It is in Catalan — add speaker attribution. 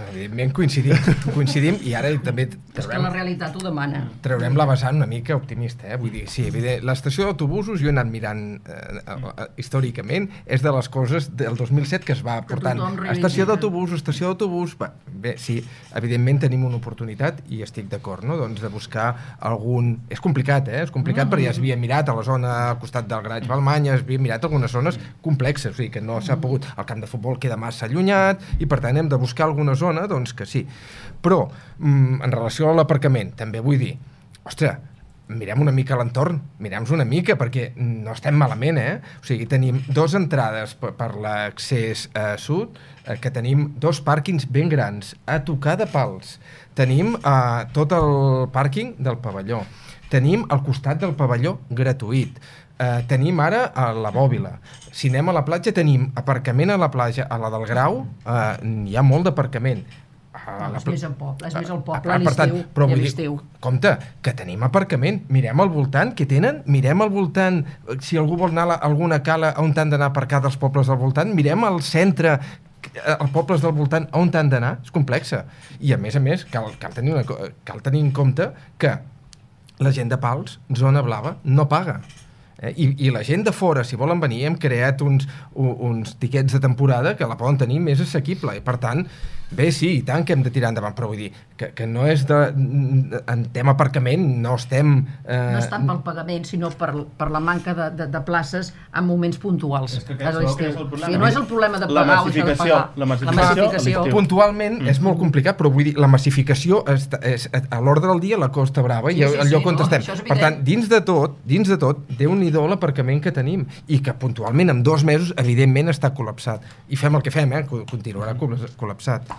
Speaker 1: evidentment coincidim i ara també
Speaker 2: és que la realitat ho demana.
Speaker 1: Traurem la vessant una mica optimista, vull dir, sí, l'estació d'autobusos jo he anat mirant històricament, és de les coses del 2007 que es va portant estació d'autobús, bé, sí, evidentment tenim una oportunitat i estic d'acord, no?, doncs de buscar algun... És complicat, és complicat perquè ja s'havia mirat a la zona al costat del Garatge Balmanya, s'havia mirat algunes zones complexes, o sigui que no s'ha pogut, el camp de futbol queda massa allunyat i per tant hem de buscar alguna zona, doncs que sí. Però, en relació a l'aparcament, també vull dir, ostres, mirem una mica l'entorn, mirem-nos una mica, perquè no estem malament, O sigui, tenim 2 entrades per l'accés sud, que tenim 2 pàrquings ben grans, a tocar de pals. Tenim tot el pàrquing del pavelló. Tenim al costat del pavelló gratuït. Tenim ara a la Bòbila. Si anem a la platja, tenim aparcament a la platja, a la del Grau, hi ha molt d'aparcament.
Speaker 2: És més al poble, a l'estiu.
Speaker 1: Compte, que tenim aparcament, mirem al voltant, què tenen? Mirem al voltant, si algú vol anar a alguna cala on han d'anar a aparcar dels pobles del voltant, mirem al centre, els pobles del voltant on han d'anar, és complexa. I a més, cal tenir en compte que la gent de Pals, zona blava, no paga. I la gent de fora, si volen venir, hem creat uns tiquets de temporada que la poden tenir més assequible. I per tant, bé, sí, i tant que hem de tirar endavant, però vull dir que no és en tema aparcament, no estem...
Speaker 2: No és tant pel pagament, sinó per la manca de places en moments puntuals. No és el problema de pagar o de pagar.
Speaker 3: La massificació.
Speaker 1: Puntualment és molt complicat, però vull dir, la massificació a l'ordre del dia la Costa Brava i el lloc on estem. Per tant, dins de tot, Déu-n'hi-do l'aparcament que tenim i que puntualment en 2 mesos evidentment està col·lapsat. I fem el que fem, continuarà col·lapsat.